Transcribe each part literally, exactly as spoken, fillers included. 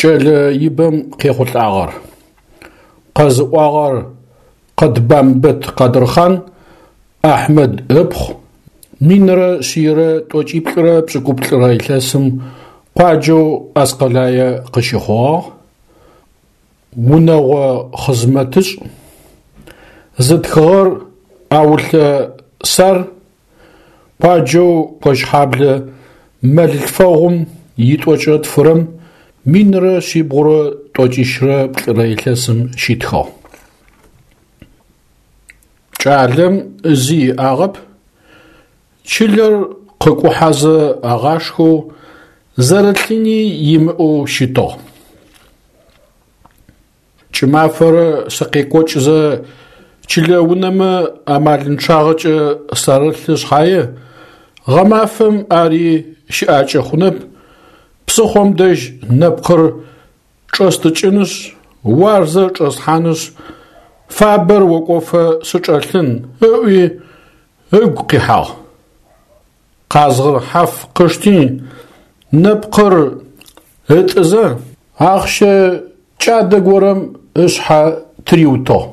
Кӏэлэ ибэм къехъулӏагъэр. Къэзыӏуагъэр Къэтбамбэт Къадырхъан Ахьмэд ыпхъу, минрэ шъийрэ тӏокӏиплӏырэ пшӏыкӏуплӏырэ илъэсым къуаджэу Аскъэлае къыщыхъугъагъ, унэгъо хъызмэтышӏ. Зытхыгъэр Аулъэ Сар, къуаджэу Кощхьаблэ мэлылъфэгъум итӏокӏрэ тфырэм минрэ шъибгъурэ тӏокӏищрэ плӏырэ илъэсым щитхыгъ. Кӏалэм зи иӏагъэп, чылэр къыкӏухьэзэ агъашхэу, зэрылъыни имыӏэу щытыгъ. Кӏымафэрэ сыкъекӏокӏызэ чылэ унэмэ амалынчъагъэкӏэ сарылъы шъхьае, гъэмафэм ари щыӏакӏэ хъунэп, псыхъом дэжь нэпкъыр чӏэстӏыкӏынышъ, уарзэ чӏэслъхьанышъ, фабэр окӏофэ сычӏэлъын, ыӏуи ыгу къихьагъ. Къазгъыр хьаф къышти, нэпкъыр ытӏызэ, ахъщэ кӏадэ горэм ышъхьэ тыриутыгъ.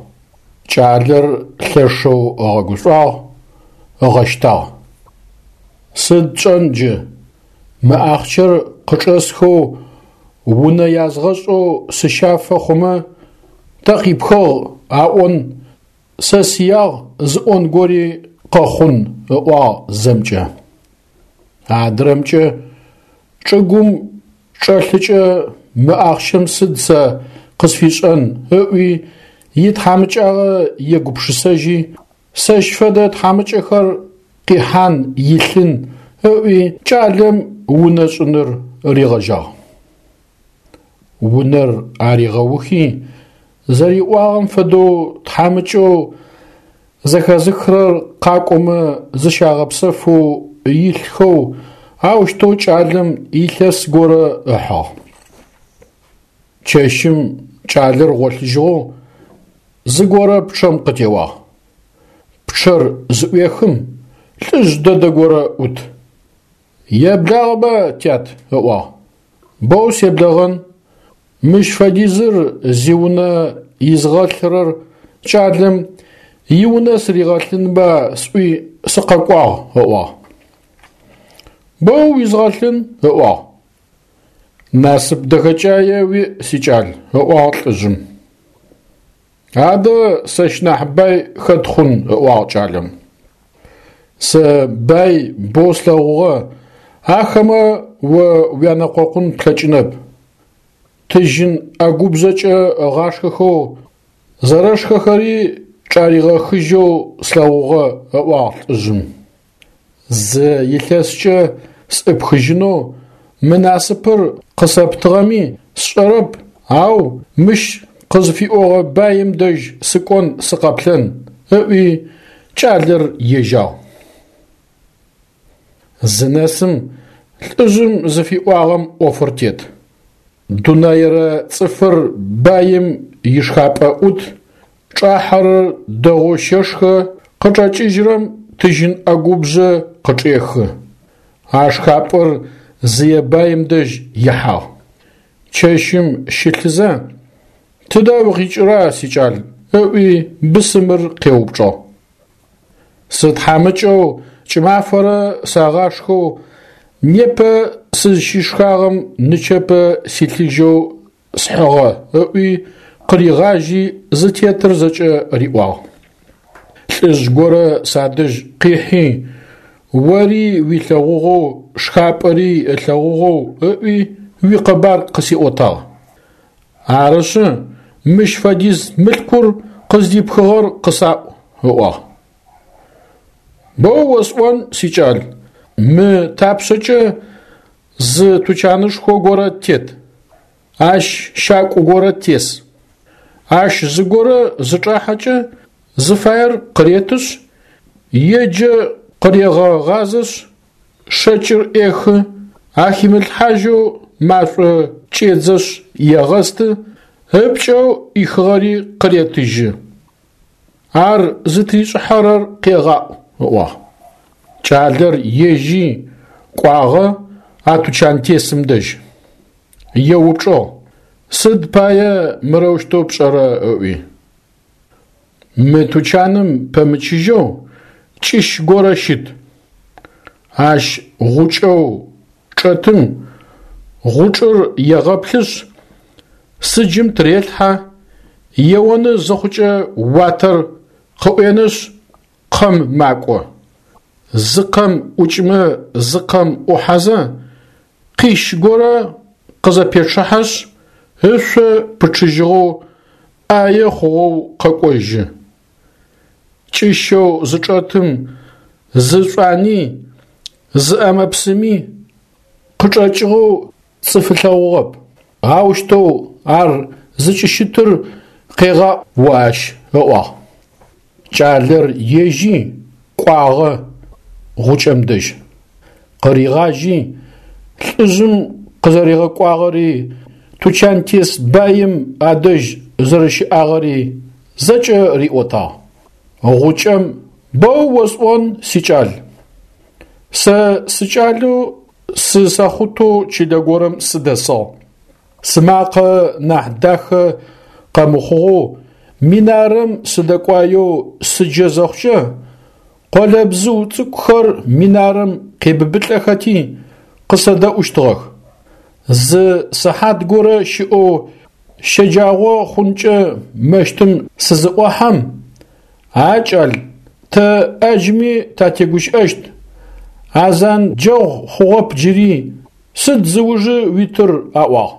Кӏалэр лъэшэу ыгъэгушӏуагъ, ыгъэщтагъ. Сыд тшӏэн джы, мы ахъщэр къычӏэсхэу унэ язгъэшӏэу сыщафэ хъумэ, тэ къипхыгъ аӏон, сэ сиягъ зыӏон гори къэхъун, ыӏуагъ зэмкӏэ. Адрэмкӏэ чӏыгум чӏэлъыкӏэ мы ахъщэм сыд сэ къысфишӏэн ыӏуи итхьамыкӏагъэ егупшысэжьи, сэщ фэдэ тхьамыкӏэхэр къихьан илъын ыӏуи кӏалэм унэ шӏыныр ригъэжьагъ. Унэр аригъэухи, зэриӏуагъэм фэдэу тхьамыкӏэу зэхэзыхырэр къакӏомэ зыщагъэпсэфэу илъхэу аущтэу кӏалэм илъэс горэ ыхьыгъ. Чэщым кӏалэр гъолъыжьыгъэу зыгорэ пчъэм къытеуагъ. Пчъэр зыӏуехым лӏыжъ дэдэ горэ ӏут. Еблагъэба, тят, ыӏуагъ. Боу себлэгъэн, мыщ фэдизыр зиунэ изгъэлъырэр кӏалэм иунэ сыригъэлъынба сӏуи сыкъэкӏуагъ, ыӏуагъ. Боу уизгъэлъын, ыӏуагъ. Насып дэхэкӏае уиӏ, сикӏал, ыӏуагъ лӏыжъым. Адэ сэщ нахь бай хэт хъун, ыӏуагъ кӏалэм. Сэ бай боу слъэгъугъэ, ахэмэ о уянэкъокъун плъэкӏынэп. Тыжьын ӏэгубжъэкӏэ ыгъашхэхэу, зэрэшхэхэри чӏаригъэхыжьэу слъэгъугъэ, ыӏуагъ лӏыжъым. Зы илъэскӏэ сӏыпхыжьынэу мы насыпыр къысэптыгъэми сшӏэрэп, ау мыщ къызыфиӏогъэ баим дэжь сыкӏон сыкъэплъэн, ыӏуи кӏалэр ежьагъ. Зынэсым лӏыжъым зыфиӏуагъэм ӏофыр тет. Дунаерэ цӏыфыр баим ишхапӏэ ӏут, чӏахьэрэр дэгъоу щэшхэ, къычӏэкӏыжьырэм тыжьын ӏэгубжъэ къычӏехы. А шхапӏэр зые баим дэжь ихьагъ. Чэщым щылъызэ, тыдэ укъикӏыра, сикӏал, ыӏуи бысымыр къеупчӏыгъ. Сытхьамыкӏэу кӏымафэрэ сагъашхэу непэ сызщышхагъэм нычэпэ силъыжьэу схьыгъэ, ыӏуи къыригъажьи зытетыр зэкӏэ риӏуагъ. Лӏыжъ горэ садэжь къихьи, ори уилъэгъугъэу, шхапӏэри ылъэгъугъэу ыӏуи уикъэбар къысиӏотагъ. Арышъы, мыщ фэдиз мылъкур къыздипхыгъэр къысаӏу, ыӏуагъ. Боу осӏон, сикӏал, мы тапшъэкӏэ зы тучанышхо горэ тет, ащ щакӏу горэ тес. Ащ зыгорэ зычӏахьэкӏэ зыфаер къыретышъ, еджэ къырегъэгъазэшъ, шэкӏыр ӏехы, ахимылъхьажьэу машӏо кӏедзэшъ егъэсты, ыпкӏэу ӏихыгъэри къыретыжьы. Ар зытришӏыхьэрэр къегъаӏу, ыӏуагъ. Кӏалэр ежьи кӏуагъэ а тучантесым дэжь. Еупчӏыгъ: Сыд пае мырэущтэу пшӏэрэ ыӏуи. Мы тучаным пэмычыжьэу кӏыщ горэ щыт. Ащ гъукӏэу чӏэтым гъучӏыр егъэплъышъ, сыджым тырелъхьэ, еоны зыхъукӏэ уатэр къыӏуенышъ, къэм макӏо. Зы къэм ӏукӏымэ зы къэм ӏухьэзэ, къищ горэ къызэпечъыхьэшъ, ышъо пычъыжьыгъэу, ӏае хъугъэу къэкӏожьы. Кӏыщэу зычӏэтым зы шӏуани, зы ӏэмэ-псыми къычӏэкӏыгъэу цӏыф ылъэгъугъэп. Аущтэу ар зыкӏыщытыр къегъаӏу о ащ, ыӏуагъ. Кӏалэр ежьи кӏуагъэ гъукӏэм дэжь. Къыригъажьи, лӏыжъым къызэригъэкӏуагъэри, тучантес баим адэжь зэрэщыӏагъэри зэкӏэ риӏотагъ. Гъукӏэм боу осӏон, сикӏал. Сэ сыкӏалэу сысэхъутэу чылэ горэм сыдэсыгъ. Сымакъэ нахь дахэ къэмыхъугъэу минарэм сыдэкӏуаеу сыджэ зыхъукӏэ, къолэбзыу цӏыкӏухэр минарэм къебыбылӏэхэти къысэдэӏущтыгъэх. Зы сыхьат горэ щыӏэу щэджагъо хъункӏэ мэщтым сызыӏохьэм, а кӏал, тэ ӏаджми татегущыӏэщт, азан джэгъу хъугъэп джыри, сыд зыужы уитыр аӏуагъ.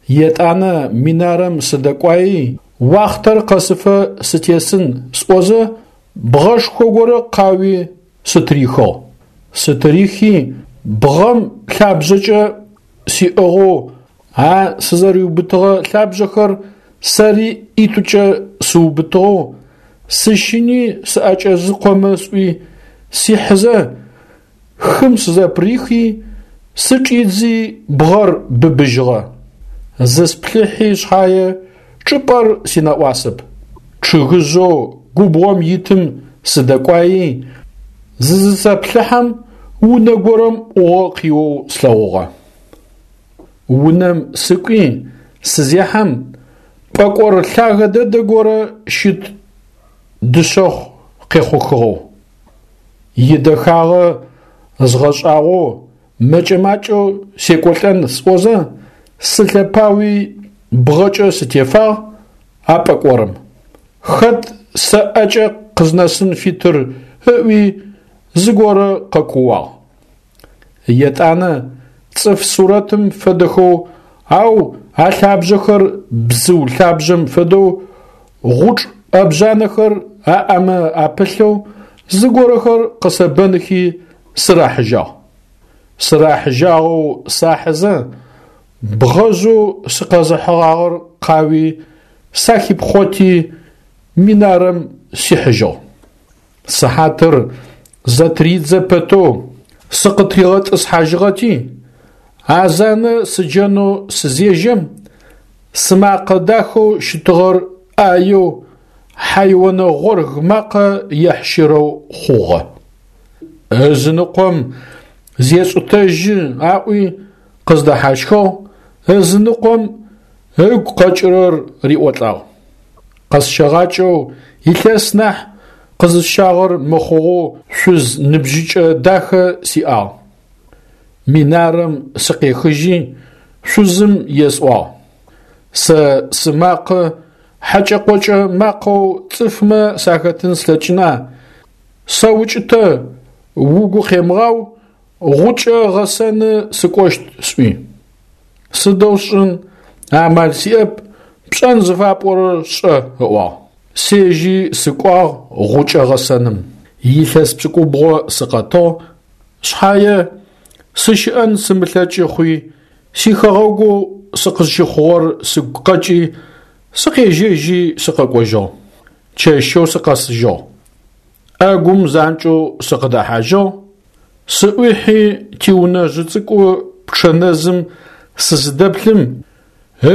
Етӏанэ минарэм сыдэкӏуаи, уахътэр къэсыфэ сытесын сӏозэ, бгъэшхо горэ къауи сытырихыгъ. Сытырихи, бгъэм лъабжъэкӏэ сиӏыгъэу а сызэриубытыгъэ лъабжъэхэр сэри ӏитӏукӏэ сыубытыгъэу, сыщыни сыӏэкӏэзыкъомэ сӏуи, сихьызэ, хым сызэпырихи, сычӏидзи бгъэр быбыжьыгъэ. Зысплъыхьи шъхьае чӏыпӏэр синэӏуасэп. Чъыгыжъэу губгъом итым сыдэкӏуаи, зызысэплъыхьэм унэ горэм ӏугъо къиоу слъэгъугъэ. Унэм сыкӏуи сызехьэм, пӏэкӏор лъагэ дэдэ горэ щыт дышъэхъу къехъухыгъэу. Идэхагъэ згъэшӏагъоу мэкӏэ-макӏэу секӏолӏэн сӏозэ, сылъэпауи бгъэкӏэ сытефагъ а пӏэкӏорым. Хэт сэ ӏэкӏэ къызнэсын фитыр ыӏуи зыгорэ къэкууагъ. Етӏанэ цӏыф сурэтым фэдэхэу, ау алъабжъэхэр бзыу лъабжъэм фэдэу, гъучӏ ӏэбжъанэхэр аӏэмэ апылъэу зыгорэхэр къысэбэнхи сырахьыжьагъ. Сырахьыжьагъэу сахьызэ, бгъэжъэу сыкъэзыхьыгъагъэр къауи сахипхъоти минарэм сихьыжьыгъ. Сыхьатыр зэтыридзэ пэтэу сыкъытригъэтӏысхьажьыгъэти, азанэ сыджэнэу сызежьэм, сымакъэ дахэу щытыгъэр ӏаеу, хьайонэ гъорг макъэ ехьщырэу хъугъэ. Ызыныкъом зешӏытэжьы аӏуи къыздэхьащхыгъ, ызыныкъом ыгу къэкӏырэр риӏолӏагъ. Къэсщэгъакӏэу илъэс нахь къызысщагъэр мыхъугъэу шъуз ныбжьыкӏэ дахэ сиӏагъ. Минарэм сыкъехыжьи, шъузым есӏуагъ: Сэ сымакъэ хьэкӏэ-къокӏэ макъэу цӏыфмэ сахэтын слъэкӏына, сэукӏытэ, угу къемыгъау, гъукӏэ гъэсэны сыкӏощт сӏуи. Сыдэу сшӏын, амал сиӏэп, пшӏэн зыфапӏорэр шӏэ, ыӏуагъ. Сежьи сыкӏуагъ гъукӏэ гъэсэным. Илъэс пшӏыкӏубгъо сыкъэтыгъ, шъхьае сыщыӏэн сымылъэкӏы хъуи, сихэгъэгоу сыкъызщыхъугъэр сыгу къэкӏи, сыкъежьэжьи сыкъэкӏожьыгъ. Чэщэу сыкъэсыжьыгъ. ӏэгум занкӏэу сыкъыдэхьажьыгъ, сыӏуихьи тиунэжъы цӏыкӏу пчъэнэзым сызыдэплъым,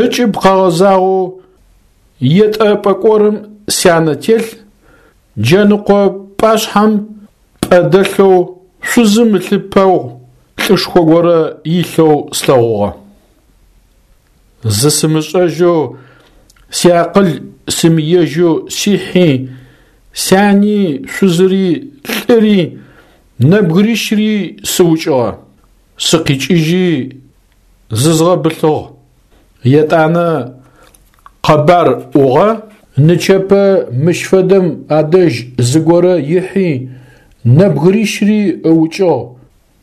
ыкӏыб къэгъэзагъэу етӏэ пӏэкӏорым сянэ телъ, джэныкъо пӏашъхьэм пӏэ дэлъэу шъузым ылъыпэгъу лӏышхо горэ илъэу слъэгъугъэ. Зысымышӏэжьэу, сиакъыл симыежьэу сихьи, сяни, шъузыри, лӏыри, нэбгырищыри сыукӏыгъэ. Сыкъикӏыжьи зызгъэбылъыгъ. Етӏанэ къэбар ӏугъэ: нычэпэ мыщ фэдэм адэжь зыгорэ ихьи нэбгырищыри ыукӏыгъ,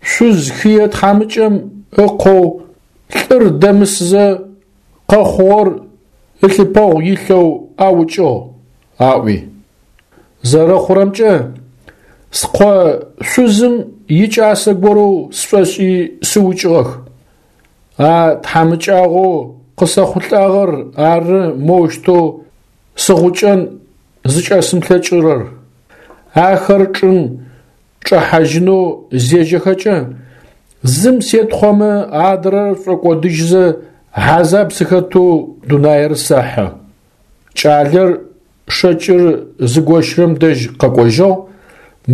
шъуз хые тхьамыкӏэм ыкъоу лӏыр дэмысызэ къэхъугъэр ылъыпэгъу илъэу аукӏыгъ, аӏуи. Зэрэхъурэмкӏэ, скъо шъузым икӏасэ горэу сшӏошӏи сыукӏыгъэх. А тхьамыкӏагъоу къысэхъулӏагъэр ары моущтэу сыгъукӏэн зыкӏэсымылъэкӏырэр. Ахэр чӏым чӏэхьажьынэу зежьэхэкӏэ, зым сетхъомэ адрэр шӏокӏодыжьызэ хьазаб сыхэтэу дунаир сэхьы. Кӏалэр шэкӏыр зыгощырэм дэжь къэкӏожьыгъ,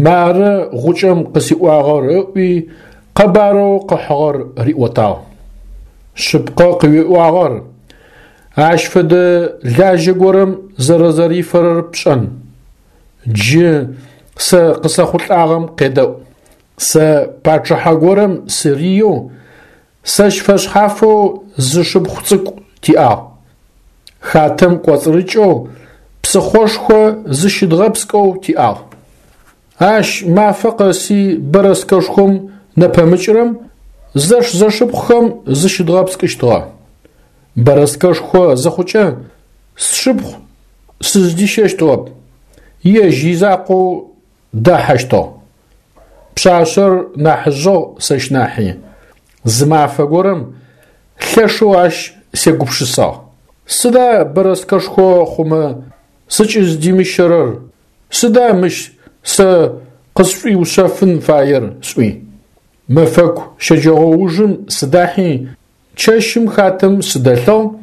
мары гъукӏэм къысиӏуагъэр ыӏуи къэбарэу къыхьыгъэр риӏотагъ. Шъыпкъэ къыуиӏуагъэр, ащ фэдэ лажьэ горэм зэрэзэрифэрэр пшӏэн. Джы сэ къысэхъулӏагъэм къедэӏу. Сэ пачъыхьэ горэм сыриеу, сэщ фэшъхьафэу зы шыпхъу цӏыкӏу тиӏагъ. Хатэм кӏоцӏырыкӏэу псыхъошхо зыщыдгъэпскӏэу тиӏагъ. Ащ мафэ къэси бэрэскэшхом нэпэмыкӏырэм зэш-зэшыпхъухэм зыщыдгъэпскӏыщтыгъэ. Бэрэскэшхо зыхъукӏэ сшыпхъу сыздищэщтыгъэп, ежь изакъоу дахьэщтыгъ. Пшъашъэр нахьыжъыгъ сэщ нахьи. Зы мафэ горэм лъэшэу ащ сегупшысагъ. Сыда бэрэскэшхо хъумэ сыкӏыздимыщэрэр, сыда мыщ сэ къысшӏуиушъэфын фаер сӏуи. Мэфэку щэджэгъоужым сыдахьи, чэщым хатэм сыдэлъыгъ,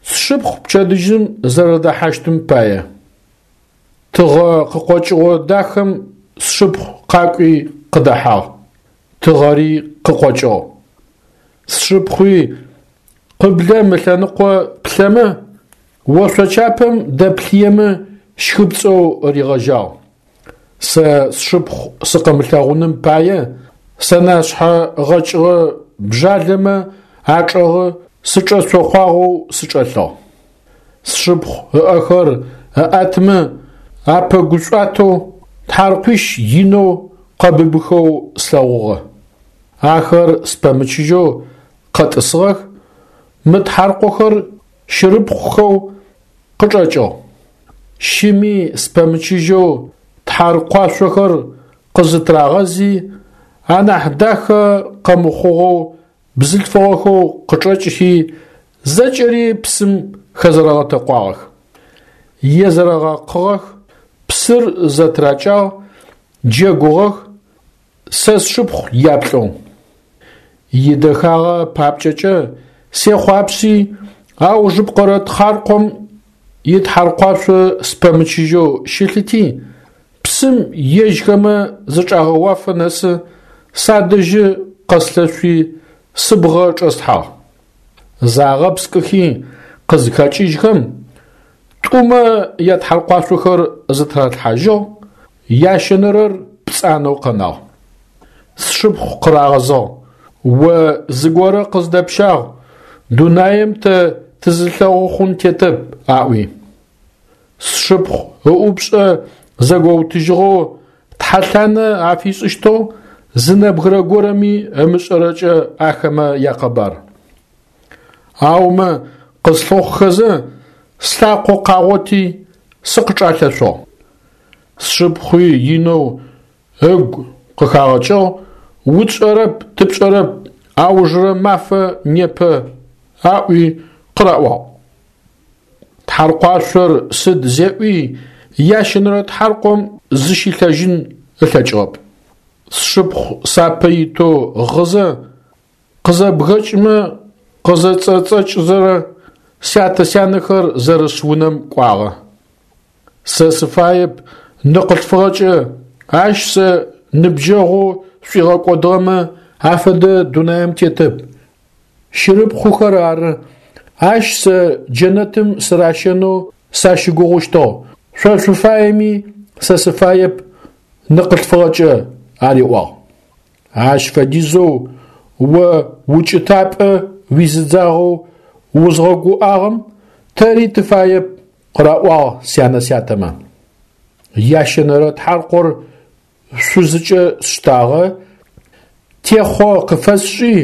сшыпхъу пчэдыжьым зэрэдэхьащтым пае. Тыгъэ къыкъокӏыгъо дахэм сшыпхъу къакӏуи къыдэхьагъ. Тыгъэри къыкъокӏыгъ. Сшыпхъуи къыблэм ылъэныкъо плъэмэ, ошъочапэм дэплъыемэ щхыпцӏэу ригъэжьагъ. Сэ сшыпхъу сыкъымылъэгъуным пае сэнэшъхьэ гъэкӏыгъэ бжалэмэ ачӏэгъы сычӏэцохъуагъэу сычӏэлъыгъ. Сшыпхъу ыӏэхэр ыӏэтымэ апэгушӏуатэу тхьаркъуищ инэу къэбыбыхэу слъэгъугъэ. Ахэр спэмычыжьэу къэтӏысыгъэх, мы тхьаркъохэр щырыпхъухэу къычӏэкӏыгъ. Щыми спэмычыжьэу тхьаркъуашъохэр къызытырагъэзи, анахь дахэ къэмыхъугъэу бзылъфыгъэхэу къычӏэкӏыхи, зэкӏэри псым хэзэрэгъэтэкъуагъэх. Езэрэгъэкъыгъэх, псыр зэтыракӏагъ, джэгугъэх, сэ сшыпхъу яплӏэу. Идэхагъэ папкӏэкӏэ сехъуапси, аужыпкъэрэ тхьаркъом итхьаркъуашъо спэмычыжьэу щылъыти, псым ежьхэмэ зычӏагъэуафэ нэсы садэжьы къэслъэшъуи сыбгъэ чӏэслъхьагъ. Загъэпскӏыхи къызхэкӏыжьхэм, тӏумэ ятхьаркъуашъохэр зытыралъхьажьыгъ, ящэнэрэр пцӏанэу къэнагъ. Сшыпхъу къырагъэзыгъ: «О зыгорэ къыздэпщагъ, дунаим тэ тызылъэгъу хъун тетэп», аӏуи. Сшыпхъу ыӏупшӏэ зэгоутыжьыгъэу тхьэлъанэ афишӏыщтыгъ зы нэбгырэ горэми ымышӏэрэкӏэ ахэмэ якъэбар. Аумэ къыслъыхъухэзэ слъакъо къагъоти сыкъычӏалъэшъугъ. Сшыпхъуи инэу ыгу къыхагъэкӏыгъ, утшӏэрэп, тыпшӏэрэп, аужырэ мафэ непэ, аӏуи къыраӏуагъ. Тхьаркъуашъор сыд зеӏуи ящэнэрэ тхьаркъом зыщилъэжьын ылъэкӏыгъэп. Сшыпхъу сапэ итэу гъызэ, къызэбгэкӏымэ къызэцӏэцӏэкӏызэрэ сятэ-сянэхэр зэрыс унэм кӏуагъэ. Сэ сыфаеп ныкъылъфыгъэкӏэ, ащ сэ ныбджэгъоу сшӏуигъэкӏодыгъэмэ афэдэ дунаим тетэп. Щырыпхъухэр ары Ащ сэ джэнэтым сыращэнэу сащыгугъыщтыгъ, шъо шъуфаеми, сэ сыфаеп ныкъылъфыгъэкӏэ, ариӏуагъ. Ащ фэдизэу о укӏытапӏэ уизыдзагъэу узгъэгуӏагъэм тэри тыфаеп, къыраӏуагъ сянэ-сятэмэ. Ящэнэрэ тхьаркъор шъузыкӏэ сштагъэ, техъо къыфэсшӏи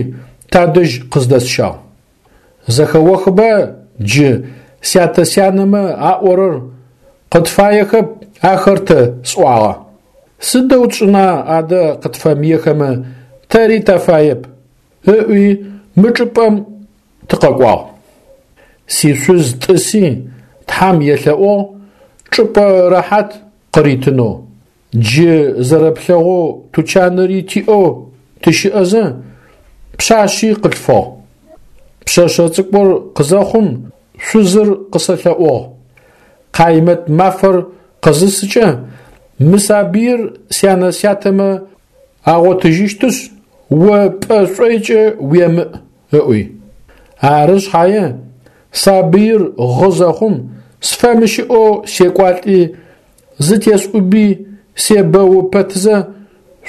тадэжь къыздэсщагъ. Зэхэохба джы сятэ-сянэмэ аӏорэр, къытфаехэп ахэр тэ сӏуагъэ. Сыдэу тшӏына адэ къытфэмыехэмэ, тэри тафаеп, ыӏуи мы чӏыпӏэм тыкъэкӏуагъ. Сишъуз тӏыси Тхьам елъэӏугъ чӏыпӏэ рэхьат къыритынэу. Джы зэрэплъэгъоу тучанри тиӏэу тыщыӏэзэ пшъашъи къылъфыгъ. Пшъэшъэ цӏыкӏур къызэхъум шъузыр къысэлъэӏугъ: Къаймэт мафэр къызысыкӏэ мы сабыир сянэ-сятэмэ агъотыжьыщтышъ, о пӏэ шӏойкӏэ уемыӏ, ыӏуи. Ары шъхьае сабыир гъы зэхъум сфэмыщыӏэу секӏуалӏи зытесӏуби себэу пэтзэ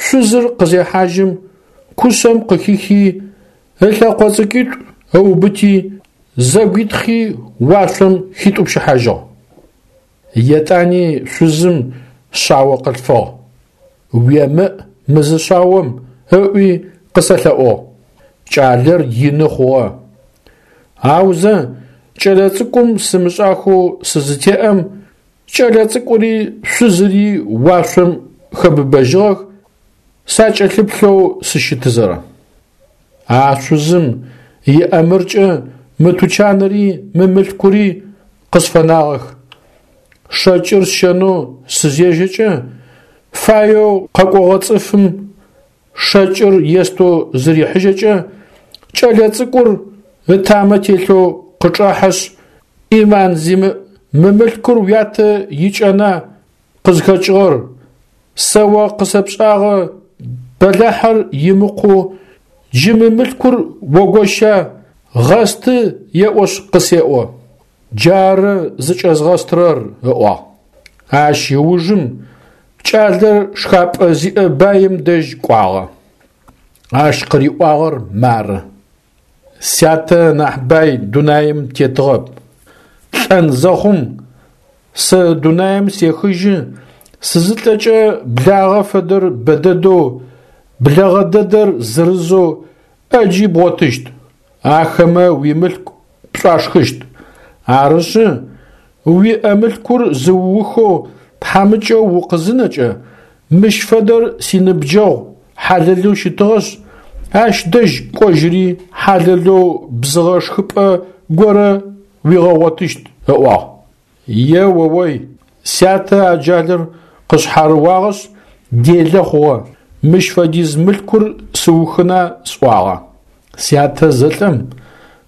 шъузыр къызехьажьым кушъэм къыхихи ылъэкъо цӏыкӏуитӏу ыубыти зэгуитхъи уашъом хитӏупщыхьажьыгъ. Етӏани шъузым шъао къылъфыгъ. Уемыӏ мы зы шъаом, ыӏуи къысэлъэӏугъ. Кӏалэр ины хъугъэ. Аузэ кӏэлэцӏыкӏум сымышӏахэу сызытеӏэм кӏэлэцӏыкӏури шъузыри уашъом хэбыбэжьыгъэх, сакӏэлъыплъэу сыщытызэрэ. А шъузым иӏэмыркӏэ мы тучанри мы мылъкури къысфэнагъэх. Шэкӏыр сщэнэу сызежьэкӏэ фаеу къэкӏогъэ цӏыфым шэкӏыр естэу зырихьыжьэкӏэ кӏэлэцӏыкӏур ытамэ телъэу къычӏэхьэшъ, «Ӏиман зимыӏ, мы мылъкур уятэ икӏэна къызхэкӏыгъэр, сэ о къысэпшӏагъэ бэлахьыр имыкъоу джы мы мылъкур огоща, гъэсты еӏошъ къысеӏо. Джары зыкӏэзгъэстырэр, ыӏуагъ. Ащ ыужым кӏалэр шхапӏэ зиӏэ баим дэжь кӏуагъэ. Ащ къыриӏуагъэр мары: Сятэ нахь бай дунаим тетыгъэп. Лӏэн зэхъум сэ дунаим сехыжьы сызылӏэкӏэ благъэ фэдэр бэдэдэу, блэгъэ дэдэр зырызэу ӏэджи бгъотыщт, ахэмэ уимылъку пшӏуашхыщт. Арышъы, уиӏэ мылъкур зыуухэу тхьамыкӏэу укъызынэкӏэ, мыщ фэдэр синыбджэгъу хьалэлэу щытыгъэшъ, ащ дэжь кӏожьыри хьалэлэу бзыгъэ шхыпӏэ горэ уигъэгъотыщт, ыӏуагъ. Е-о-ой, сятэ аджалыр къышъхьарыуагъэшъ делэ хъугъэ, мыщ фэдиз мылъкур сыухына сӏуагъэ. Сятэ зэлӏэм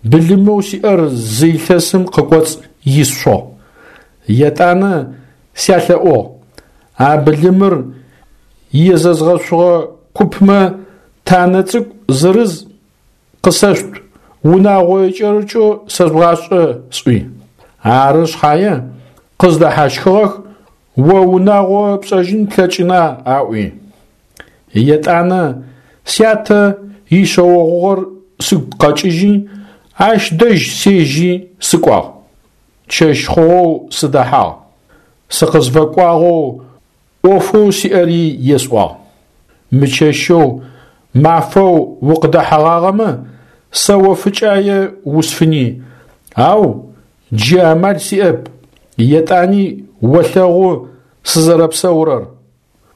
былымэу сиӏэр зы илъэсым къыкӏоцӏ исшъугъ. Етӏанэ сялъэӏугъ: а былымыр езэзгъэшъугъэ купмэ танэ цӏыкӏу зырыз къысэшъут, унагъо икӏэрыкӏэу сэжъугъашӏэ сӏуи. Ары шъхьае къыздэхьащхыгъэх, о унагъо пшӏэжьын плъэкӏына аӏуи. Етӏанэ сятэ ишъэогъугъэр сыгу къэкӏыжьи, ащ дэжь сежьи сыкӏуагъ. Чэщ хъугъэу сыдэхьагъ. Сыкъызфэкӏуагъэу ӏофэу сиӏэри есӏуагъ. Мы чэщэу мафэу укъыдэхьэгъагъэмэ, сэ о фыкӏае усфыни, ау джы амал сиӏэп, етӏани олъэгъу сызэрэпсэурэр.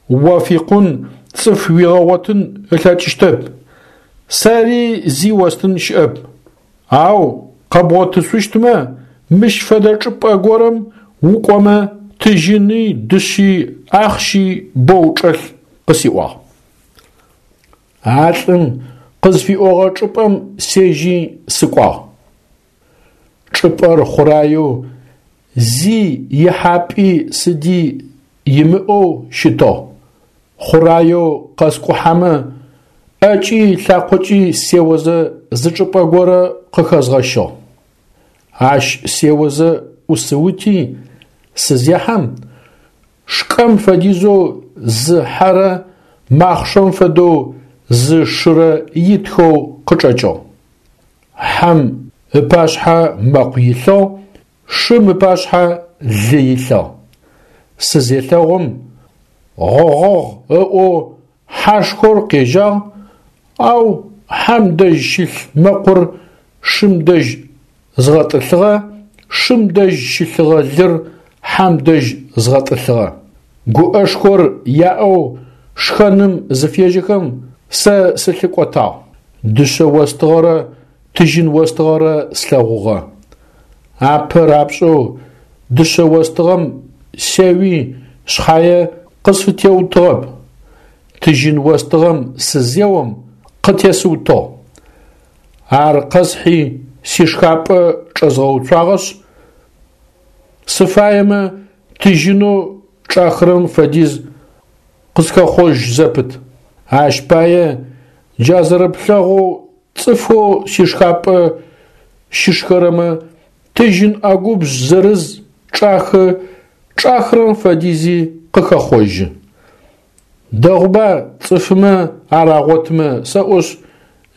О фикъун цӏыф уигъэгъотын ылъэкӏыщтэп, сэри зи остын щыӏэп. Ау къэбгъотышъущтмэ, мыщ фэдэ чӏыпӏэ горэм укӏомэ тыжьыни, дышъи, ахъщи боу чӏэлъ къысиӏуагъ. А лӏым къызфиӏогъэ чӏыпӏэм сежьи сыкӏуагъ. Чӏыпӏэр хъураеу зи ихьапӏи сыди имыӏэу щытыгъ. Хъураеу къэскӏухьэмэ ӏэкӏи лъакъокӏи сеозэ зы чӏыпӏэ горэ къыхэзгъэщыгъ. Ащ сеозэ ӏусыути сызехьэм, шкӏэм фэдизэу зы хьэрэ махъшэм фэдэу зы шырэ итхэу къычӏэкӏыгъ. Хьэм ыпашъхьэ мэкъу илъыгъ, шым ыпашъхьэ лы илъыгъ. Сызелъэгъум, гъогъогъ ыӏоу хьашхор къежьагъ, ау хьэм дэжь щылъ мэкъур шым дэжь згъэтӏылъыгъэ, шым дэжь щылъыгъэ лыр хьэм дэжь згъэтӏылъыгъэ. Гуӏэшхор яӏэу шхэным зыфежьэхэм сэ сылъыкӏотагъ. Дышъэ остыгъэрэ тыжьын остыгъэрэ слъэгъугъэ. Апэ рапшӏэу дышъэ остыгъэм сеуи шъхьае къысфытеутыгъэп. Тыжьын остыгъэм сызеом къытесыутыгъ. Ар къэсхьи сишхапӏэ чӏэзгъэуцуагъэшъ, сыфаемэ тыжьынэу чӏахырэм фэдиз къысхэхъожь зэпыт. Ащ пае джа зэрэплъэгъоу цӏыфэу сишхапӏэ щышхэрэмэ тыжьын ӏэгубжъ зырыз чӏахы, чӏахырэм фэдизи къыхэхъожьы. Дэгъуба цӏыфмэ ар агъотмэ сэӏошъ,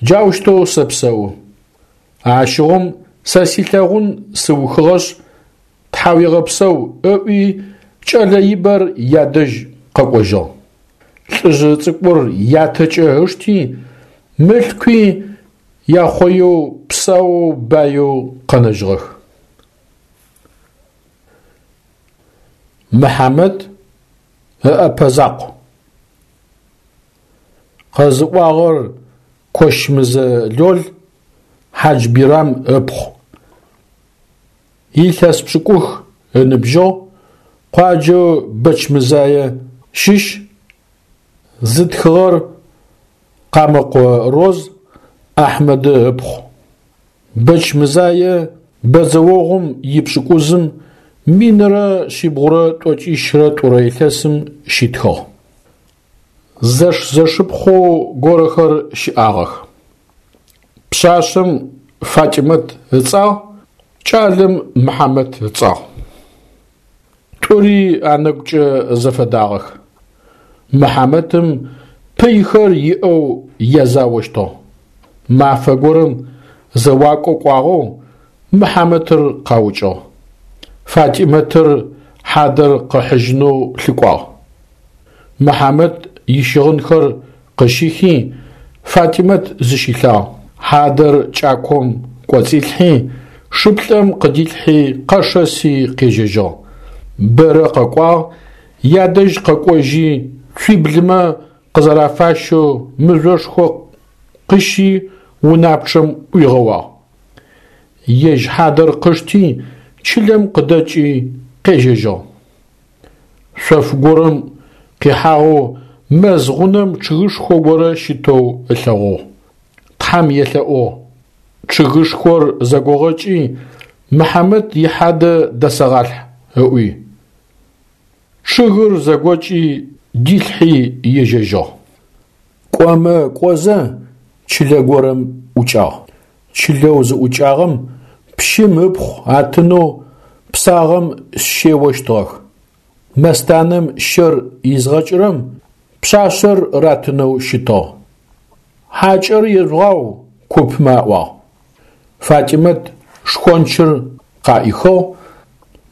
джаущтэу сэпсэу. Ащыгъум сэ силъэгъун сыухыгъэшъ, тхьауегъэпсэу ыӏуи кӏэлэ ибэр ядэжь къэкӏожьыгъ. Лӏыжъы цӏыкӏур ятэкӏэ ышти, мылъкуи яхъоеу псаоу баеу къэнэжьыгъэх. Мыхьамэт ыӏэпэ закъу. Къэзыӏуагъэр Кощмызэ Лол, Хьаджбирам ыпхъу. Илъэс пшӏыкӏух ыныбжьыгъ, къуаджэу Бэчмызае щыщ, зытхыгъэр Къамэкъо Роз Ахьмэды ыпхъу. Бэчмызае бэдзэогъум ипшӏыкӏузым минрэ шъибгъурэ тӏокӏищрэ тӏурэ илъэсым щитхыгъ. Зэш-зэшыпхъу горэхэр щыӏагъэх. Пшъашъэм Фатимэт ыцӏагъ, кӏалэм Мыхьамэт ыцӏагъ. Тӏури анэгукӏэ зэфэдагъэх. Мыхьамэтым пыйхэр иӏэу язаощтыгъ. Мафэ горэм зэуакӏо кӏуагъэу Мыхьамэтыр къаукӏыгъ. Фатимэтыр хьадэр къыхьыжьынэу лъыкӏуагъ. Мыхьамэт ищыгъынхэр къыщихи, Фатимэт зыщилъагъ. Хьадэр кӏаком кӏоцӏилъхьи, шыплӏэм къыдилъхьи къэшэси къежьэжьыгъ. Бэрэ къэкӏуагъ, ядэжь къэкӏожьи, цуиблымэ къызэрафащэу мыжъошхо къыщи унапчъэм ӏуигъэуагъ. Ежь хьадэр къышти, чылэм къыдэкӏи къежьэжьыгъ. Шъоф горэм къихьагъэу мэз гъунэм чъыгышхо горэ щытэу ылъэгъугъ. Тхьэм елъэӏугъ. Чъыгышхор зэгогъэкӏи, Мыхьамэт ихьадэ дэсэгъалъхь, ыӏуи. Чъыгыр зэгокӏи, дилъхьи ежьэжьыгъ. Кӏомэ кӏозэ чылэ горэм ӏукӏагъ. Чылэу зыӏукӏагъэм пщым ыпхъу атынэу псагъэм щеощтыгъэх. Мэстанэм щэр изгъэкӏырэм пшъашъэр ратынэу щытыгъ. Хьакӏэр ежъугъау, купмэ аӏуагъ. Фатимэт шхончыр къаӏихыгъ,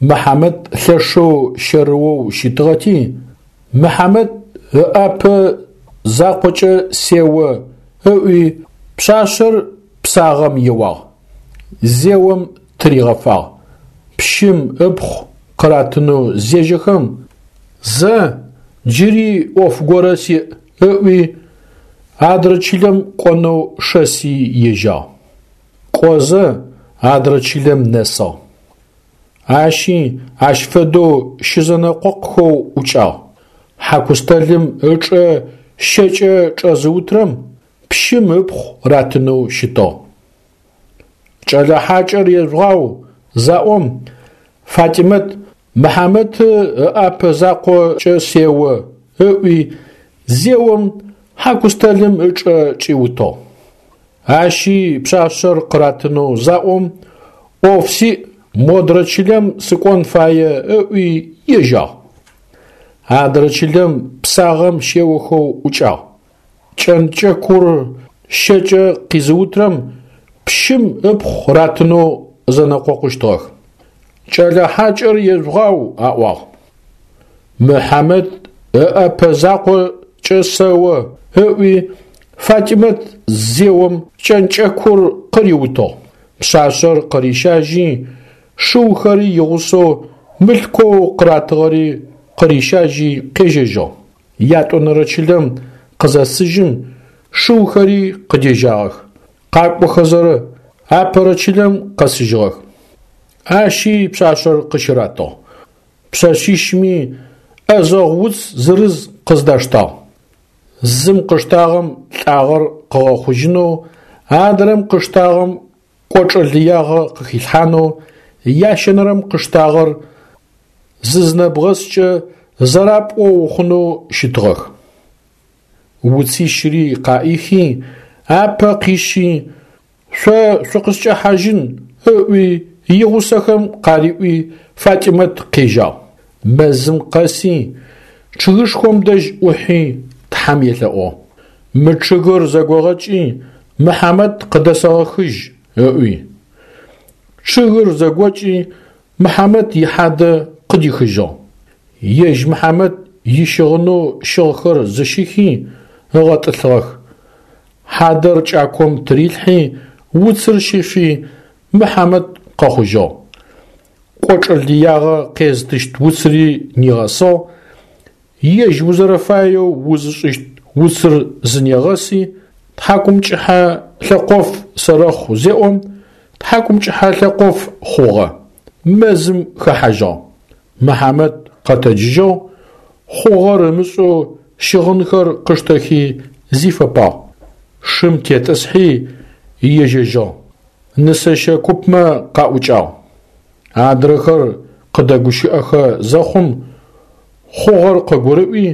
Мыхьамэт лъэшэу щэрыоу щытыгъэти, Мыхьамэт ыӏапэ закъокӏэ сео ыӏуи пшъашъэр псагъэм еуагъ. Зеом тыригъэфагъ. Пщым ыпхъу къыратынэу зежьэхэм, зэ джыри ӏоф горэ сиӏ ыӏуи, адрэ чылэм кӏонэу шэси ежьагъ. Кӏозэ адрэ чылэм нэсыгъ. Ащи ащ фэдэу щызэнэкъокъухэу ӏукӏагъ. Хьакустэлым ычӏэ щэкӏэ чӏэзыутрэм пщым ыпхъу ратынэу щытыгъ. Кӏэлэ хьакӏэр ежъугъау заӏом, Фатимэт Мыхьамэт ыӏапэ закъокӏэ сео ыӏуи, зеом хьакустэлым ычӏэ чӏиутыгъ. Ащи пшъашъэр къыратынэу заӏом, ӏоф сиӏ, модрэ чылэм сыкӏон фае, ыӏуи ежьагъ. Адрэ чылэм псагъэм щеохэу ӏукӏагъ. Кӏэнкӏэкур щэкӏэ къизыутрэм пщым ыпхъу ратынэу зэнэкъокъущтыгъэх. Кӏэлэ хьакӏэр ежъугъау, аӏуагъ. Мыхьамэт ыӏэпэ закъокӏэ сэо, ыӏуи Фатимэт зеом кӏэнкӏэкур къыриутыгъ. Пшъашъэр къырищажьи, шыухэри игъусэу мылъкоу къыратыгъэри къырищажьи къежьэжьыгъ. Ятӏонэрэ чылэм къызэсыжьым шыухэри къыдежьагъэх. Къакӏохэзэ апэрэ чылэм къэсыжьыгъэх. Ащи пшъашъэр къыщыратыгъ. Пшъэшъищми ӏэзэгъу уц зырыз къыздаштагъ. Зым къыштагъэм лӏагъэр къыгъэхъужьынэу, адрэм къыштагъэм кӏочӏэ лыягъэ къыхилъхьанэу, ящэнэрэм къыштагъэр зызнэбгъэскӏэ зэрапӏоу ухъунэу щытыгъэх. Уцищри къаӏихи, апэ къишъи, шъо шъукъыскӏэхьажьын, ыӏуи игъусэхэм къариӏуи Фатимэт къежьагъ. Мэзым къэси, чъыгышхом дэжь ӏухьи Тхьэм елъэӏугъ: Мы чъыгыр зэгогъэкӏи, Мыхьамэт къыдэсэгъэхыжь, ыӏуи. Чъыгыр зэгокӏи, Мыхьамэт ихьадэ къыдихыжьыгъ. Ежь Мыхьамэт ищыгъынэу щыгъхэр зыщихи ыгъэтӏылъыгъэх. Хьадэр кӏаком тырилъхьи, уцыр щифи, Мыхьамэт къэхъужьыгъ. Кӏочӏэ лыягъэ къезытыщт уцыри нигъэсыгъ, ежь узэрэфаеу узышӏыщт уцыр зынегъэси, тхьакӏумкӏыхьэ лъэкъоф сэрэхъу зеӏом, тхьакӏумкӏыхьэ лъэкъоф хъугъэ, мэзым хэхьажьыгъ. Мыхьамэт къэтэджыжьыгъ, хъугъэр ымышӏэу щыгъынхэр къыштэхи зифэпагъ. Шым тетӏысхьи ежьэжьыгъ. Нысэщэ купмэ къаӏукӏагъ. Адрэхэр къыдэгущыӏэхэ зэхъум, хъугъэр къыгурыӏуи,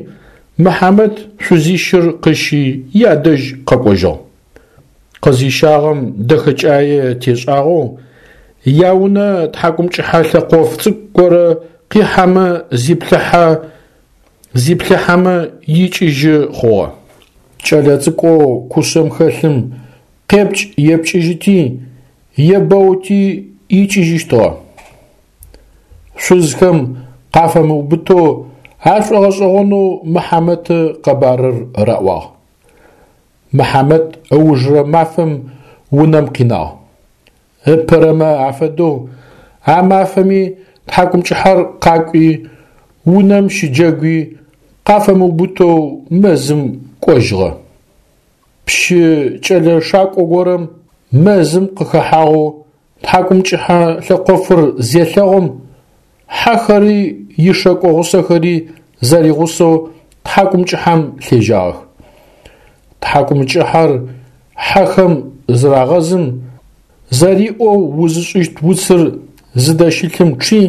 Мыхьамэт шъузищыр къыщи ядэжь къэкӏожьыгъ. Къызищагъэм дэхэкӏае тешӏагъэу, яунэ тхьакӏумкӏыхьэ лъэкъоф цӏыкӏу горэ къихьэмэ зиплъыхьэ, зиплъыхьэмэ икӏыжьы хъугъэ. Кӏэлэцӏыкӏоу кушъэм хэлъым къепкӏ-епкӏыжьыти, ебэути икӏыжьыщтыгъэ. Шъузхэм къафэмыубытэу ашӏогъэшӏэгъонэу Мыхьамэты къэбарыр раӏуагъ. Мыхьамэт ыужырэ мафэм унэм къинагъ. Ыпэрэмэ афэдэу а мафэми тхьакӏумкӏыхьэр къакӏуи, унэм щыджэгуи, къафэмыубытэу мэзым кӏожьыгъэ. Пщы кӏэлэ шакӏо горэм мэзым къыхэхьагъэу тхьакӏумкӏыхьэ лъэкъофыр зелъэгъум, хьэхэри ишэкӏо гъусэхэри зэригъусэу тхьакӏумкӏыхьэм лъежьагъэх. Тхьакӏумкӏыхьэр хьэхэм зырагъэзым, зэриӏоу узышӏыщт уцыр зыдэщылъым чъи,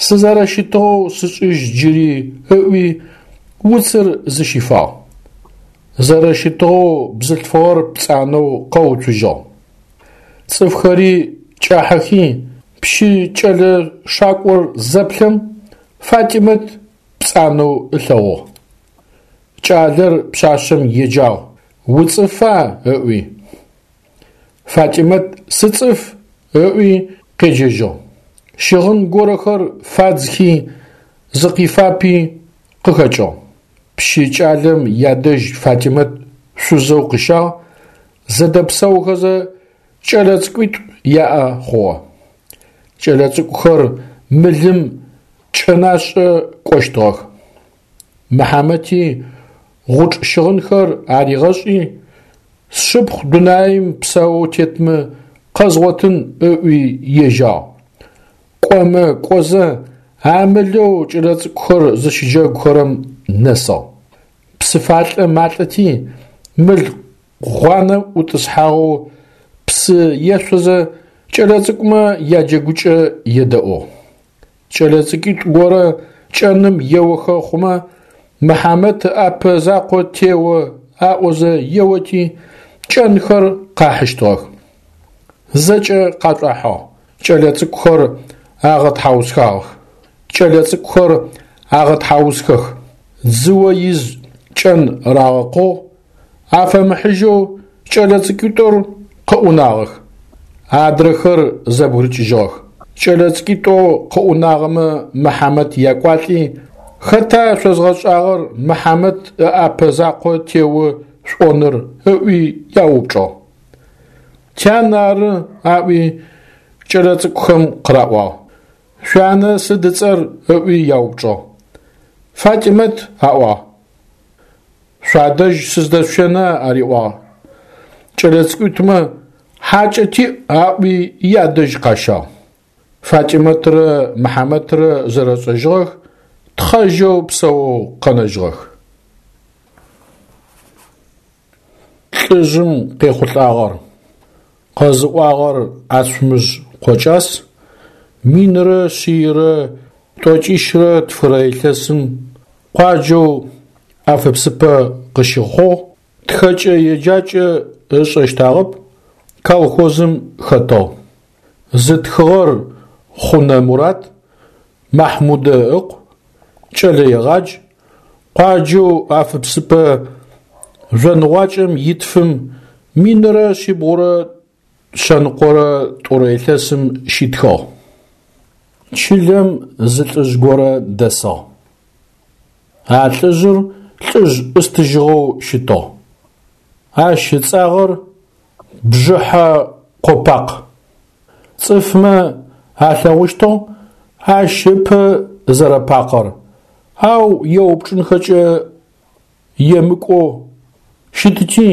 сызэрэщытыгъэу сышӏыжь джыри ыӏуи, уцыр зыщифагъ. Зэрэщытыгъэу бзылъфыгъэр пцӏанэу къэуцужьыгъ. Цӏыфхэри кӏахьэхи, пщы кӏэлэ шакӏор зэплъэм, Фатимэт пцӏанэу ылъэгъугъ. Кӏалэр пшъашъэм еджагъ: «Уцӏыфа?» ыӏуи. Фатимэт «Сыцӏыф» ыӏуи къеджэжьыгъ. Щыгъын горэхэр фадзхи, зыкъифапи къыхэкӏыгъ. Пщы кӏалэм ядэжь Фатимэт шъузэу къыщагъ, зэдэпсэухэзэ кӏэлэцӏыкӏуитӏу яӏэ хъугъэ. Кӏэлэцӏыкӏухэр мылым кӏэнашӏэ кӏощтыгъэх. Мыхьамэти гъучӏ щыгъынхэр аригъэшӏи, сшыпхъу дунаим псаоу тетмэ къэзгъотын ыӏуи ежьагъ. Кӏомэ кӏозэ а мылэу кӏэлэцӏыкӏухэр зыщыджэгухэрэм нэсыгъ. Псыфалӏэ малӏэти, мыл гъуанэм ӏутӏысхьагъэу псы ешъозэ кӏэлэцӏыкӏумэ яджэгукӏэ едэӏугъ. Кӏэлэцӏыкӏуитӏу горэ кӏэным еохэ хъумэ, Мыхьамэт ыӏапэ закъо тео аӏозэ еоти, кӏэнхэр къахьыщтыгъэх. Зэкӏэ къашӏуахьыгъ. Кӏэлэцӏыкӏухэр агъэтхьаусхагъэх. Кӏэлэцӏыкӏухэр агъэтхьаусхэх. Дзыо из кӏэн рагъэкъугъ, афэмыхьыжьэу кӏэлэцӏыкӏуитӏур къыӏунагъэх. Адрэхэр зэбгырыкӏыжьыгъэх. Кӏэлэцӏыкӏуитӏоу къыӏунагъэмэ Мыхьамэт якӏуалӏи, «Хэта шъозгъэшӏагъэр Мыхьамэт ыӏапэ закъо тео шъуӏоныр?» ыӏуи яупчӏыгъ. «Тян ары», аӏуи кӏэлэцӏыкӏухэм къыраӏуагъ. «Шъуянэ сыд ыцӏэр?» ыӏуи яупчӏыгъ. «Фатимэт», аӏуагъ. «Шъуадэжь сыздэшъущэна?» ариӏуагъ. Кӏэлэцӏыкӏуитӏумэ «Хьакӏэ тиӏ» аӏуи ядэжь къащагъ. Фатимэтрэ Мыхьамэтрэ зэрэшӏэжьыгъэх, тхъэжьэу псэоу къэнэжьыгъэх. Лӏыжъым къехъулӏагъэр. Къэзыӏуагъэр Ацумыжъ Къокӏас, минрэ шъийрэ тӏокӏищрэ тфырэ илъэсым къуаджэу Афыпсыпэ къыщыхъугъ, тхэкӏэ-еджакӏэ ышӏэщтыгъэп, колхозым хэтыгъ. Зытхыгъэр Хъунэ Мурат Махьмудэ ыкъу, кӏэлэегъадж, къуаджэу Афыпсыпэ жъоныгъуакӏэм итфым минрэ шъибгъурэ шъэныкъорэ тӏурэ илъэсым щитхыгъ. Чылэм зы лӏыжъ горэ дэсыгъ. А лӏыжъыр лӏыжъ ӏыстыжьыгъэу щытыгъ. Ащ ыцӏагъэр Бжыхьэкъопакъ. Цӏыфмэ алъэгъущтыгъ ащ ыпэ зэрэпакъэр, ау еупчӏынхэкӏэ емыкӏоу щытыти,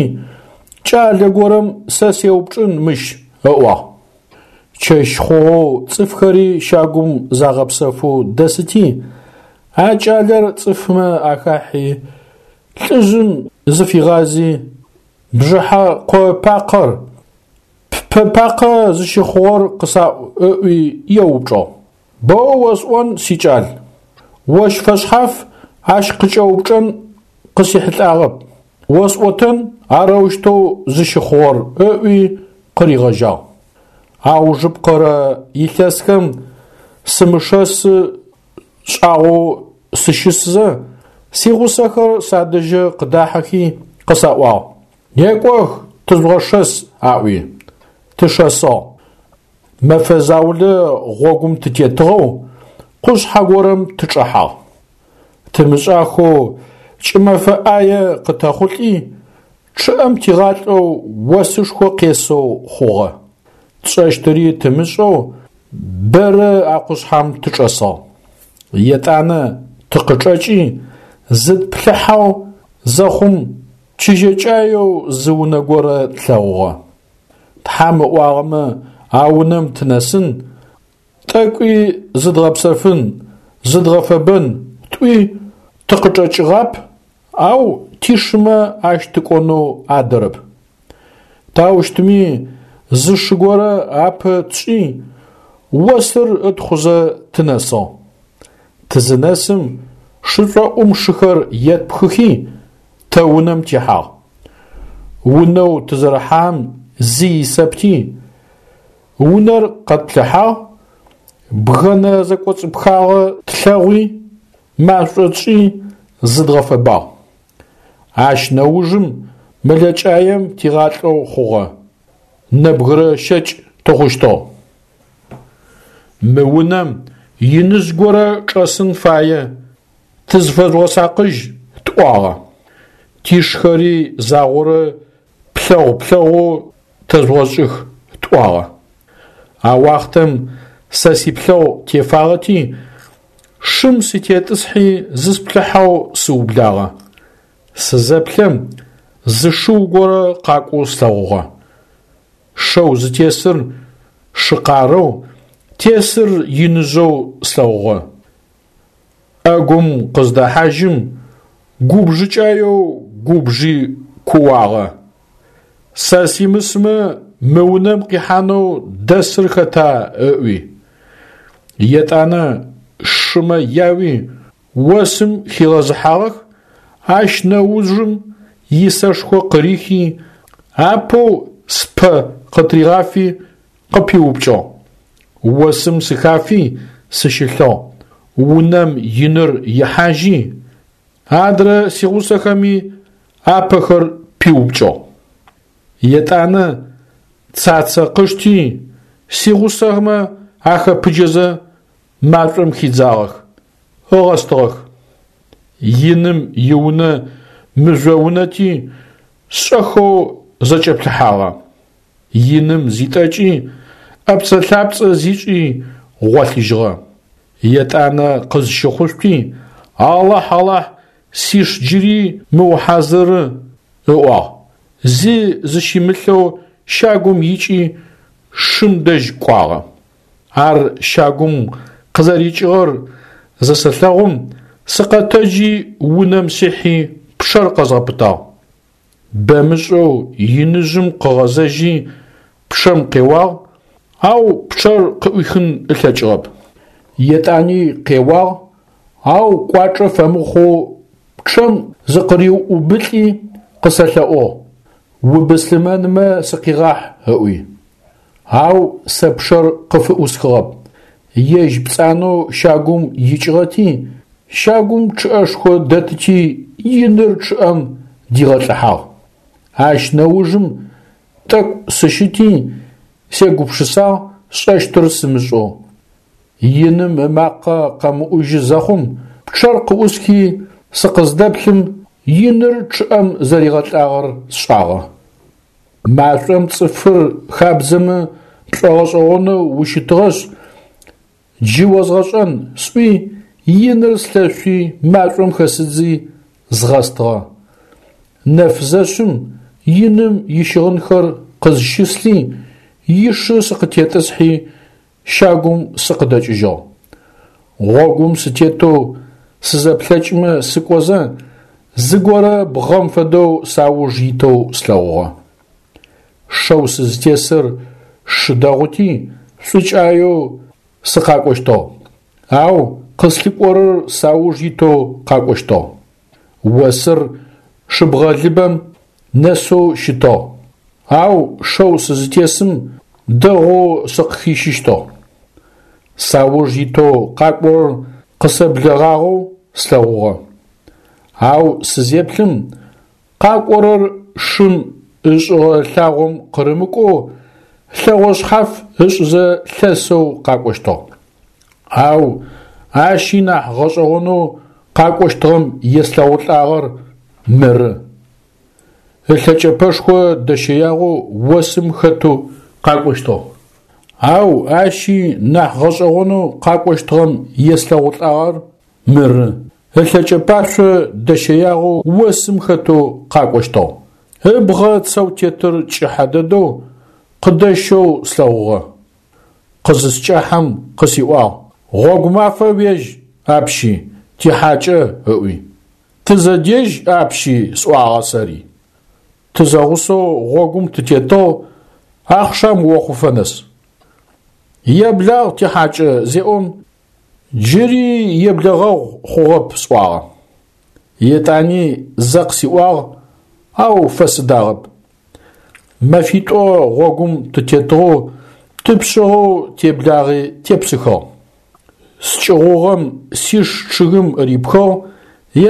кӏалэ горэм сэ сеупчӏын мыщ ыӏуагъ. Чэщ хъугъэу цӏыфхэри щагум загъэпсэфэу дэсыти, а кӏалэр цӏыфмэ ахахьи, лӏыжъым зыфигъази: «Бжыхьэкъопакъэр, ппэ пакъэ зыщыхъугъэр къысаӏу», ыӏуи еупчӏыгъ. «Боу осӏон, сикӏал, ощ фэшъхьаф ащ къыкӏэупчӏэн къысихьылӏагъэп, осӏотэн арэущтэу зыщыхъугъэр», ыӏуи къыригъэжьагъ. Аужыпкъэрэ илъэсхэм сымышэсы шӏагъоу сыщысызэ, сигъусэхэр садэжьы къыдахьэхи къысаӏуагъ: «Некӏох, тыжъугъэшэс», аӏуи. Тышэсыгъ. Мэфэ заулэ гъогум тытетыгъэу къушъхьэ горэм тычӏэхьагъ. Тымышӏахэу кӏымэфэ ӏае къытэхъулӏи, чъыӏэм тигъалӏэу осышхо къесэу хъугъэ. Тшӏэщтыри тымышӏэу бэрэ а къушъхьэм тычӏэсыгъ. Етӏанэ тыкъычӏэкӏи зытплъыхьэу зэхъум чыжьэкӏаеу зы унэ горэ тлъэгъугъэ. Тхьам ыӏуагъэмэ а унэм тынэсын, тӏэкӏуи зыдгъэпсэфын, зыдгъэфэбэн тӏуи тыкъычӏэкӏыгъап, ау тишымэ ащ тыкӏонэу адэрэп. Таущтми зы шы горэ апэ тшӏи, осыр ытхъузэ тынэсыгъ. Тызынэсым шышӏоӏум шыхэр етпхыхи тэ унэм тихьагъ. Унэу тызэрыхьагъэм зи исэпти, унэр къэтплъыхьагъ, бгъэнэ зэкӏоцӏыпхагъэ тлъэгъуи, машӏо тшӏи зыдгъэфэбагъ. Ащ нэужым мэлэкӏаем тигъалӏэу хъугъэ, нэбгырэ щэкӏ тыхъущтыгъ. Мы унэм иныжъ горэ чӏэсын фае, тызфэжъугъэсакъыжь тӏуагъэ. Тишхэри загъорэ плъэгъу-плъэгъоу тэжъугъэшӏых тӏуагъэ. А уахътэм сэ сиплъэгъу тефагъэти, шым сытетӏысхьи зысплъыхьэу сыублагъэ. Сызэплъэм зы шыу горэ къакӏоу слъэгъугъэ. Шэу зытесыр шы къарэу, тесыр иныжъэу слъэгъугъэ. Ӏэгум къыздэхьажьым губжыкӏаеу губжи кууагъэ: «Сэ симысмэ мы унэм къихьанэу дэсыр хэта?» ыӏуи. Етӏанэ шымэ яуи осым хигъэзыхьагъэх, ащ нэужым исэшхо къырихи, апэу спэ къытригъафи къыпиупкӏыгъ. Осым сыхафи сыщылъыгъ, унэм иныр ихьажьи, адрэ сигъусэхэми апэхэр пиупкӏыгъ. Етӏанэ Цацэ къышти, сигъусэмэ ахэпыджэзэ машӏом хидзагъэх, ыгъэстыгъэх. Иным иунэ мыжъо унэти, шӏэхэу зэкӏэплъыхьагъэ. Иным зитӏэкӏи, ӏэпцӏэ-лъапцӏэ зишӏи гъолъыжьыгъэ. Етӏанэ къызщыхъушъути, Алахь, Алахь, сиш джыри мыухьазыры, ыӏуагъ. Зи зыщимылъэу щагум икӏи шым дэжь кӏуагъэ. Ар щагум къызэрикӏыгъэр зысэлъэгъум, сыкъэтэджи унэм сихьи пчъэр къэзгъэпытагъ. Бэмышӏэу иныжъым къыгъэзэжьи пчъэм къеуагъ, ау пчъэр къыӏуихын ылъэкӏыгъэп. Етӏани къеуагъ, ау кӏуачӏэ фэмыхъоу пчъэм зыкъыриубылӏи къысэлъэӏугъ: «Убыслъымэнмэ сыкъигъахь», ыӏуи. Ау сэ пчъэр къыфыӏусхыгъэп. Ежь пцӏанэу щагум икӏыгъэти, щагум чъыӏэшхо дэтыти, иныр чъыӏэм дигъэлӏыхьагъ. Ащ нэужым тӏэкӏу сыщыти, сегупшысагъ сшӏэщтыр сымышӏэу. Иным ымакъэ къэмыӏужьы зэхъум, пчъэр къыӏусхи сыкъыздэплъым, иныр чъыӏэм зэригъэлӏагъэр сшӏагъэ. Машӏом цӏыфыр хабдзэмэ пшӏогъэшӏэгъонэу ущытыгъэшъ, джы озгъэшӏэн, сӏуи, иныр слъэшъуи машӏом хэсыдзи згъэстыгъэ. Нэф зэшъым иным ищыгъынхэр къызщыслъи, ишы сыкъытетӏысхьи щагум сыкъыдэкӏыжьыгъ. Гъогум сытетэу сызэплъэкӏмэ сыкӏозэ, зыгорэ бгъэм фэдэу сауж итэу слъэгъугъэ. Шэу сызтесыр шы дэгъути, шӏукӏаеу сыкъакӏощтыгъ, ау къыслъыкӏорэр сауж итэу къакӏощтыгъ. Осыр шыбгъэлыбэм нэсэу щытыгъ, ау шэу сызтесым дэгъоу сыкъыхищыщтыгъ. Сауж итэу къакӏорэр къысэблэгъагъэу слъэгъугъэ. Ау сызеплъым, къакӏорэр шым ышӏыгъэ лъагъом къырымыкӏоу лъэгъо шъхьаф ышӏызэ лъэсэу къакӏощтыгъ. Ау ащи нахь гъэшӏэгъонэу къакӏощтыгъэм еслъэгъулӏагъэр мыры. Ылъэкӏэпэшхо дэщэягъэу осым хэтэу къакӏощтыгъ. Ау ащи нахь гъэшӏэгъонэу къакӏощтыгъэм еслъэгъулӏагъэр мыры. Ылъэкӏэпашъо дэщэягъэу осым хэтэу къакӏощтыгъ. Ыбгъэ цэу тетыр кӏыхьэ дэдэу къыдэщэу слъэгъугъэ. Къызыскӏахьэм къысиӏуагъ: «Гъогу мафэ уежь, апщи, тихьакӏэ», ыӏуи. «Тызэдежь апщи», сӏуагъэ сэри. Тызэгъусэу гъогум тытетыгъ ахъшам охъуфэ нэс. Еблагъ тихьакӏэ зеӏом, джыри еблэгъэгъу хъугъэп сӏуагъэ. Етӏани зэ къысиӏуагъ, ау фэсыдагъэп. Мэфитӏо гъогум тытетыгъэу тыпшъыгъэу теблагъи тепсыхыгъ. Скӏыгъугъэм сиш чъыгым рипхыгъ,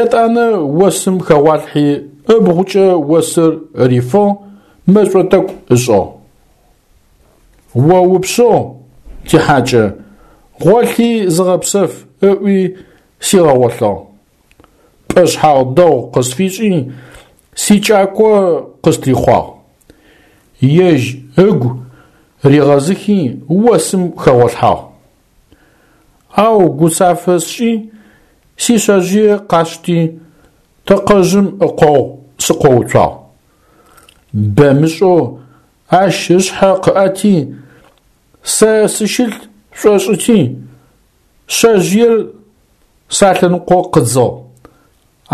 етӏанэ осым хэгъуалъхьи ыбгъукӏэ осыр рифыгъ, мэшӏо тӏэкӏу ышӏыгъ. О упшъыгъ, тихьакӏэ, гъолъи зыгъэпсэф, ыӏуи сигъэгъолъыгъ. Пӏэшъхьагъ дэгъу къысфишӏи, сикӏако къыстрихъуагъ. Ежь ыгу ригъэзыхи осым хэгъолъхьагъ. Ау гуцафэ сшӏи, сишъэжъые къасшти, тэкъэжъым ыкъогъу сыкъоуцуагъ. Бэмышӏэу ащ ышъхьэ къыӏэти, сэ сыщылъ шӏошӏыти, шъэжъыер салъэныкъо къыдзыгъ.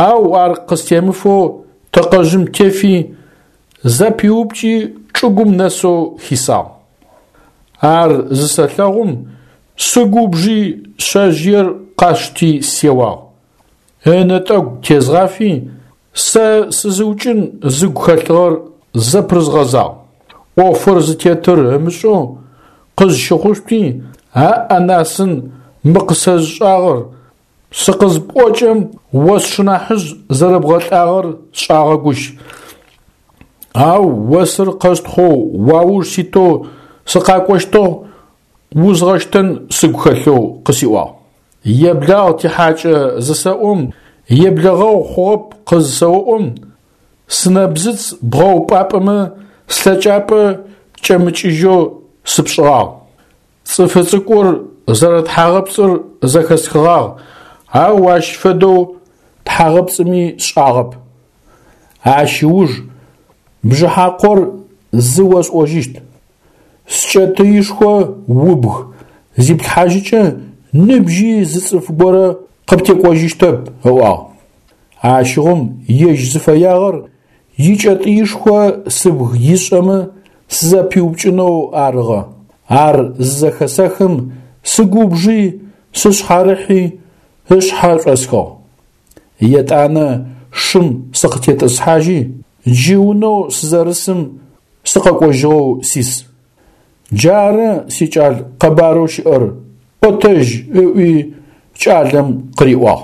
Ау ар къыстемыфэу тэкъэжъым тефи, зэпиупкӏи чӏыгум нэсэу хисагъ. Ар зысэлъэгъум, сыгубжи шъэжъыер къасшти сеуагъ. Ынэтӏэгу тезгъафи, сэ сызыукӏын зыгу хэлъыгъэр зэпырызгъэзагъ. ӏофыр зытетыр ымышӏэу къызщыхъушъути, Аӏ-анасын, мы къысэзышӏагъэр, сыкъызыпӏокӏэм о сшынахьыжъ зэрэбгъэлӏагъэр сшӏагъэгущ. Ау осыр къэстхъоу уауж ситэу сыкъакӏощтыгъ, узгъэщтэн сыгу хэлъэу къысиӏуагъ. Еблагъ тихьакӏэ зысэӏом, еблэгъэгъу хъугъэп къызысэоӏом, сынэбзыц бгъэупӏапӏэмэ слъэкӏапӏэ кӏэмыкӏыжьэу сыпшӏыгъагъ. Цӏыфы цӏыкӏур зэрэтхьагъэпцӏыр зэхэсхыгъагъ, ау ащ фэдэу тхьагъэпцӏыми сшӏагъэп. Ащ ыуж Бжыхьакъор зы осӏожьыщт: скӏэтыишхо убг зиплъхьажьыкӏэ ныбжьи зы цӏыф горэ къыптекӏожьыщтэп, ыӏуагъ. Ащыгъум ежь зыфэягъэр икӏэтӏыишхо сыбг ишӏэмэ сызэпиупкӏынэу арыгъэ. Ар зызэхэсэхым сыгубжи сышъхьарыхьи ышъхьэ шӏосхыгъ. Етӏанэ шым сыкъытетӏысхьажьи, джы унэу сызэрысым сыкъэкӏожьыгъэу сис. Джары, сикӏал, къэбарэу щыӏэр, ӏотэжь, ыӏуи кӏалэм къыриӏуагъ.